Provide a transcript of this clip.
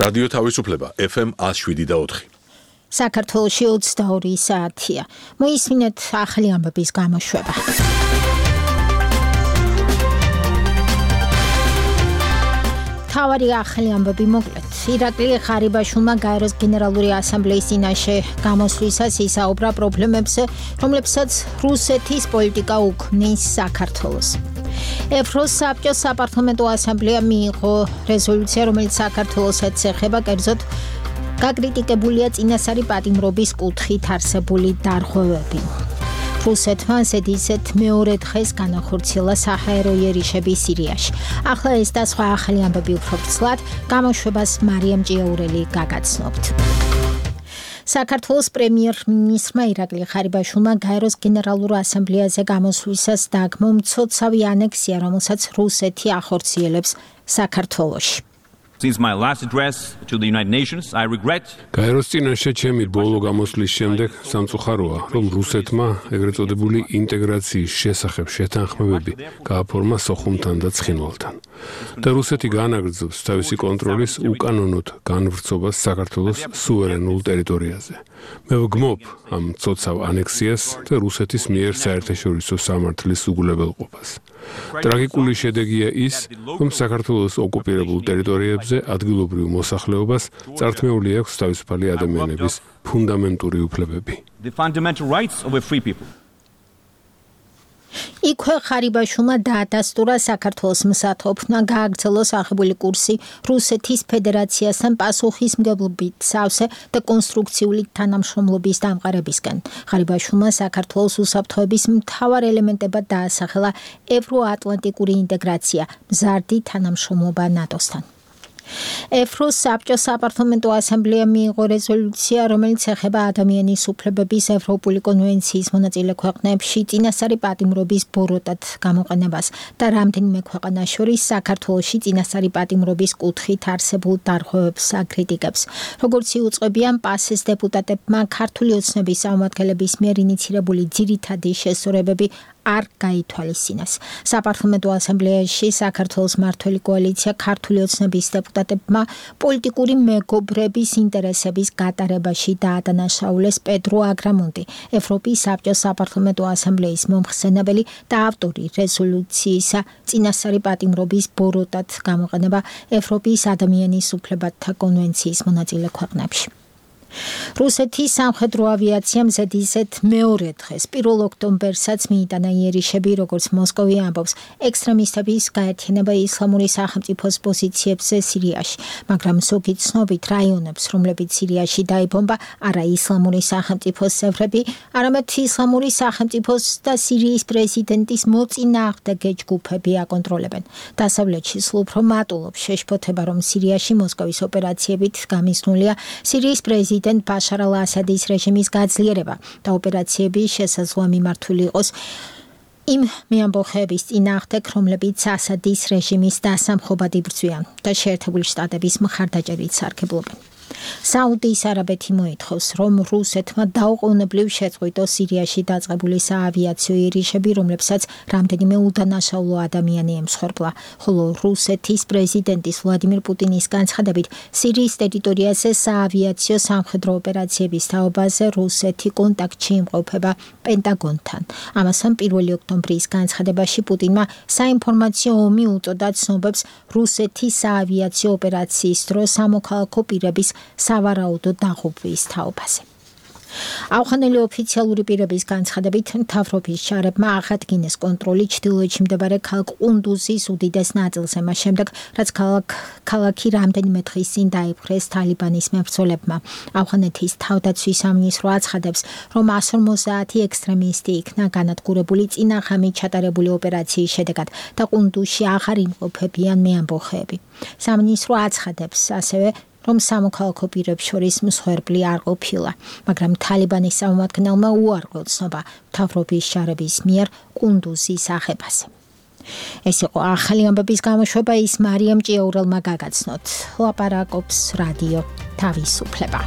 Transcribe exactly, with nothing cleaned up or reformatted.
რადიო თავისუფლება F M one oh seven და four. საქართველოში ოცდაორი საათია. მოისმინეთ ახალი ამბების გამოშვება. თავარი ახალი ამბები მოკლედ. ირაკლი ხარიბაშვილმა გაეროს გენერალური ასამბლეის წინაშე გამოსვლისას ისაუბრა პრობლემებზე, რომლებსაც რუსეთის პოლიტიკა უქმნის საქართველოს. ევროს საბჭოს საპარლამენტო ასამბლეა მიიღო რეზოლუცია, რომელიც საქართველოსაც ეხება, კერძოდ გაკრიტიკებულია წინასწარი პატიმრობის კუთხით არსებული დარღვევები. რუსეთმა ისეთ მეორე დღეს განახორციელა საჰაერო იერიშები სირიაში. ახლა ეს და სხვა ახალი ამბები უფრო ვრცლად გამოშვებას მარიამ ჭიაურელი გაგაცნობთ. საქართველოს პრემიერ-მინისტრმა ირაკლი ხარიბაშვილმა გაეროს გენერალურ ასამბლეაზე გამოსვლისას დაგმო მცოცავი ანექსია, რომელსაც რუსეთი ახორციელებს საქართველოში. Since my last address to the United Nations, I regret გაეროს წინაშე ჩემი ბოლო გამოსვლის შემდეგ სამწუხაროა, რომ რუსეთმა ეგრეთ წოდებული ინტეგრაციის შესახებ შეთანხმებები გააფორმა სოხუმთან და ცხინვალთან. და რუსეთი განაგრძობს თავისი კონტროლის უკანონოდ განვრცობას საქართველოს სუვერენულ ტერიტორიაზე. მე ვგმობ ამ მცოცავ ანექსიას და რუსეთის მიერ საერთაშორისო სამართლის უგულებელყოფას. ტრაგიკული შედეგია ის, რომ საქართველოს ოკუპირებულ ტერიტორიებზე ადგილობრივ მოსახლეობას წართმეული აქვს თავისუფალი ადამიანების ფუნდამენტური უფლებები. the fundamental rights of a free people. იქვე ხარიბაშვილმა დაადასტურა საქართველოს მსათოფნა გააგრძელოს აღებული კურსი რუსეთის ფედერაციასთან პასუხისმგებლობით სავსე და კონსტრუქციული თანამშრომლობის დამყარებისკენ. ხარიბაშვილმა საქართველოს უსაფრთხოების მთავარ ელემენტებად დაასახელა ევროატლანტიკური ინტეგრაცია, მზარდი თანამშრომლობა ნატოსთან. ევროს საბჭოს საპარლამენტო ასამბლეა მიიღო რეზოლუცია, რომელიც ეხება ადამიანის უფლებების ევროპული კონვენციის მონაწილე ქვეყნებში წინასწარი პატიმრობის ბოროტად გამოყენებას და რამდენიმე ქვეყანას შორის საქართველოში წინასწარი პატიმრობის კუთხით არსებულ დარღვევებს აკრიტიკებს. როგორც იუწყებიან პასეს დეპუტატებმა, ქართული ოცნების წარმომადგენლების მიერ ინიცირებული ძირითადი შესწორებები არ გაითვალისწინეს. საპარლამენტო ასამბლეაში საქართველოს მმართველი კოალიცია ქართული ოცნების დეპუტატებმა პოლიტიკური მეგობრების ინტერესების გატარებაში დაადანაშაულეს პედრო აგრამონტი, ევროპის საბჭოს საპარლამენტო ასამბლეის მომხსენებელი და ავტორი რეზოლუციისა წინასწარი პატიმრობის ბოროტად გამოყენება ევროპის ადამიანის უფლებათა კონვენციის მონაწილე ქვეყნებში. რუსეთის სამხედრო ავიაციამ ზედიზედ მეორე დღეს პირველ ოქტომბერსაც მიიტანა იერიშები, როგორც მოსკოვი ამბობს, ექსტრემისტების გაერთიანება ისლამური სახელმწიფოს პოზიციებზე სირიაში, მაგრამ ზოგი ცნობით რაიონებს, რომლებიც სირიაში დაიბომბა, არა ისლამური სახელმწიფოს წევრები, არამედ ისლამური სახელმწიფოს და სირიის პრეზიდენტის მოწინააღმდეგე ჯგუფები აკონტროლებენ. დასავლეთში სულ უფრო მატულობს შეშფოთება, რომ სირიაში მოსკოვის ოპერაციებით გამიზნულია სირიის პრეზიდენტი ბაშარ ალ-ასადის რეჟიმის გაძლიერება და ოპერაციები შესაძლოა მიმართული იყოს იმ მეამბოხეების წინააღმდეგ, რომლებიც ასადის რეჟიმის დასამხობად იბრძვიან და შეერთებული შტატების მხარდაჭერით სარგებლობენ. საუდის არაბეთი მოითხოვს, რომ რუსეთმა დაუყოვნებლივ შეწყვიტოს სირიაში დაწყებული საავიაციო იერიშები, რომლებსაც რამდენიმე უდანაშაულო ადამიანი ემსხვერპლა, ხოლო რუსეთის პრეზიდენტის ვლადიმირ პუტინის განცხადებით, სირიის ტერიტორიაზე საავიაციო სამხედრო ოპერაციების თაობაზე რუსეთი კონტაქტში იმყოფება პენტაგონთან. ამასთან პირველი ოქტომბრის განცხადებაში პუტინმა საინფორმაციო ომი უწოდა ცნობებს რუსეთის საავიაციო ოპერაციის დროს სამოქალაქო პირების სავარაუდო დაღუპვის თაობაზე. აუხანელი ოფიციალური პირების განცხადებით, მთავრობის შარებმა აღადგინეს კონტროლი ჩრდილოეთში მდებარე ქალაქ ყუნდუზის უდიდეს ნაწილზე, მას შემდეგ, რაც ქალაქი რამდენიმე დღის წინ დაიპყრეს თალიბანის მებრძოლებმა. აუხანეთის თავდაცვის სამინისტრო აცხადებს, რომ one fifty ექსტრემისტი იქნა განადგურებული წინა ღამით ჩატარებული ოპერაციის შედეგად და ყუნდუზში აღარ იმყოფებიან მეამბოხეები. სამინისტრო აცხადებს ასევე, რომ სამოქალაქო პირებს შორის მსხვერპლი არ ყოფილა, მაგრამ თალიბანის წარმომადგენელმა უარყო ცნობა მთავრობის შარების მიერ ყუნდუზის აღებაზე. ეს იყო ახალი ამბების გამოშვება, ის მარიამ ჭიაურელმა გაგაცნოთ. ლაპარაკობს რადიო თავისუფლება.